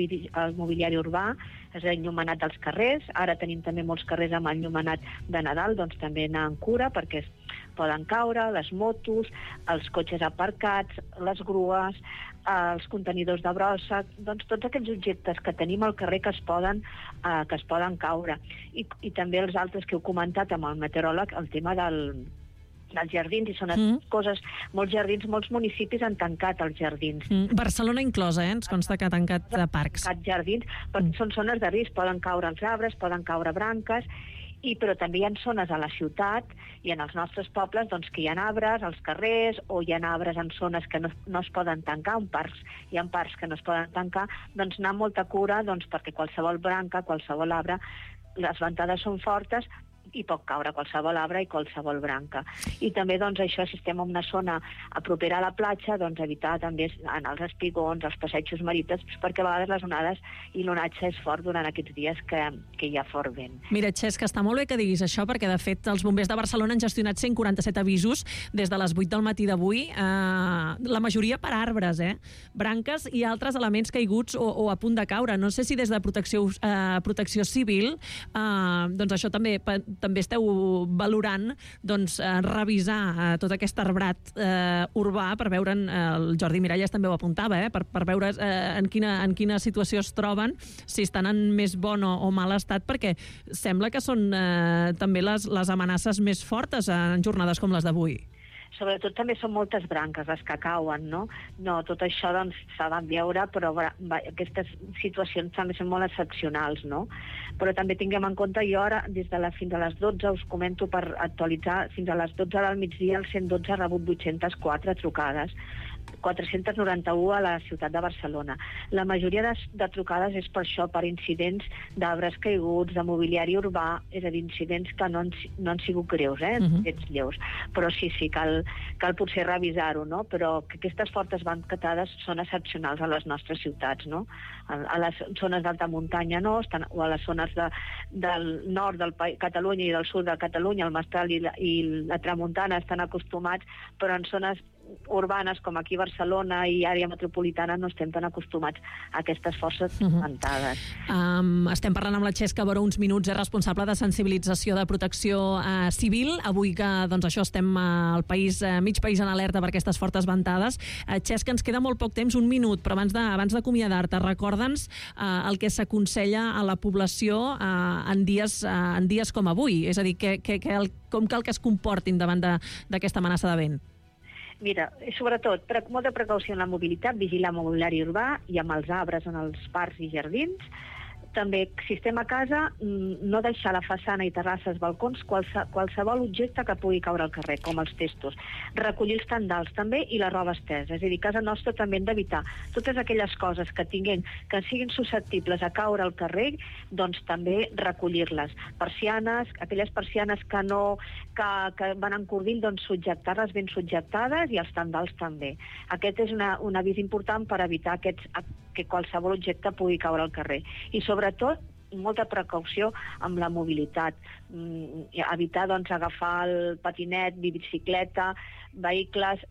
mobiliari urbà, és enllumenat dels carrers. Ara tenim també molts carrers amb enllumenat de Nadal, doncs també anar en cura perquè poden caure les motos, els cotxes aparcats, les grues, els contenidors de brossa, doncs tots aquells objectes que tenim al carrer que es poden caure. I també els altres que heu comentat amb el meteoròleg, el tema dels jardins, i són coses, molts municipis han tancat els jardins.
Barcelona inclosa, ens consta que ha tancat parcs.
Tancat jardins, però són zones de risc, poden caure els arbres, poden caure branques, però també hi ha zones a la ciutat i en els nostres pobles que hi ha arbres als carrers, o hi ha arbres en zones que no es poden tancar, hi ha parcs que no es poden tancar, doncs anar amb molta cura perquè qualsevol branca, qualsevol arbre les ventades són fortes i pot caure qualsevol arbre i qualsevol branca. I també, doncs, això, si estem en una zona propera a la platja, doncs evitar també anar als espigons, als passejos marítims, perquè a vegades les onades i l'onatge és fort durant aquests dies que hi ha fort vent.
Mira, Xesc, està molt bé que diguis això, perquè, de fet, els bombers de Barcelona han gestionat 147 avisos des de les 8 del matí d'avui, la majoria per arbres, branques i altres elements caiguts o a punt de caure. No sé si des de Protecció Civil, doncs això també esteu valorant revisar tot aquest arbrat urbà per veure, el Jordi Miralles també ho apuntava, per veure en quina situació es troben, si estan en més bon o mal estat, perquè sembla que són també les amenaces més fortes en jornades com les d'avui.
Sobretot també són moltes branques les que cauen, no? No, tot això doncs s'ha de veure, però aquestes situacions també són molt excepcionals, no? Però també tinguem en compte, jo ara, fins a les 12, us comento per actualitzar, fins a les 12 del migdia, el 112 ha rebut 804 trucades, 491 a la ciutat de Barcelona. La majoria de trucades és per això, per incidents d'arbres caiguts, de mobiliari urbà, és a dir, incidents que no han sigut greus, aquests lleus. Però sí, cal potser revisar-ho, no? Però que aquestes fortes bancatades són excepcionals a les nostres ciutats, no? A les zones d'alta muntanya no, o a les zones del nord de Catalunya i del sud de Catalunya, el Mestral i la Tramuntana estan acostumats, però en zones urbanes com aquí a Barcelona i àrea metropolitana no estem tan acostumats a aquestes forces ventades.
Estem parlant amb la Xesc Cabró uns minuts, és responsable de sensibilització de Protecció Civil. Avui que això estem al país, mig país en alerta per aquestes fortes ventades. Xesc, ens queda molt poc temps, un minut, però abans d'acomiadar-te, recorda'ns el que s'aconsella a la població en dies com avui, és a dir, com cal que es comportin davant d'aquesta amenaça de vent.
Mira, sobretot, molta precaució en la mobilitat, vigilar el mobiliari urbà i amb els arbres en els parcs i jardins. També, si estem a casa, no deixar la façana i terrasses, balcons, qualsevol objecte que pugui caure al carrer, com els testos. Recollir els tendals també i la roba estesa. És a dir, a casa nostra també hem d'evitar totes aquelles coses que siguin susceptibles a caure al carrer, doncs també recollir-les. Persianes, aquelles persianes que van encordint, doncs subjectar-les ben subjectades i els tendals també. Aquest és un avís important per evitar que qualsevol objecte pugui caure al carrer. I sobretot, molta precaució amb la mobilitat. Evitar agafar el patinet, bicicleta, vehicles,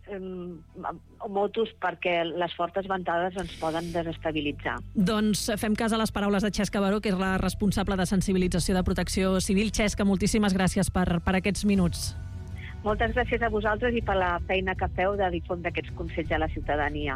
motos, perquè les fortes ventades ens poden desestabilitzar.
Doncs fem cas a les paraules de Xesc Cabró, que és la responsable de sensibilització de Protecció Civil. Xesc, moltíssimes gràcies per aquests minuts.
Moltes gràcies a vosaltres i per la feina que feu de difondre aquests consells a la ciutadania.